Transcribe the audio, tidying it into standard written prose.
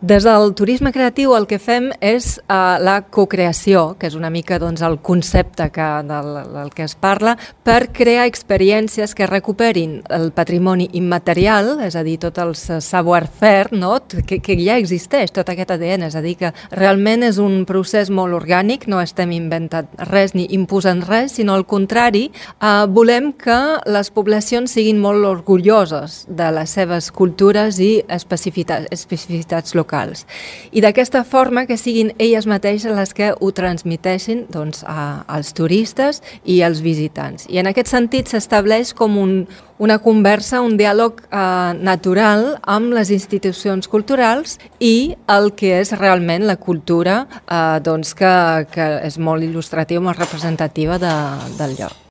Des del turisme creatiu el que fem és la cocreació, que és una mica el concepte del que es parla, per crear experiències que recuperin el patrimoni immaterial, és a dir, tot el savoir-faire, no? que ja existeix, tot aquest ADN, és a dir, que realment és un procés molt orgànic, no estem inventant res ni imposant res, sinó al contrari, volem que les poblacions siguin molt orgulloses de les seves cultures i especificitats locals. I d'aquesta forma que siguin elles mateixes les que ho transmeteixin als turistes i als visitants. I en aquest sentit s'estableix com una conversa, un diàleg natural amb les institucions culturals i el que és realment la cultura que és molt il·lustrativa, molt representativa del lloc.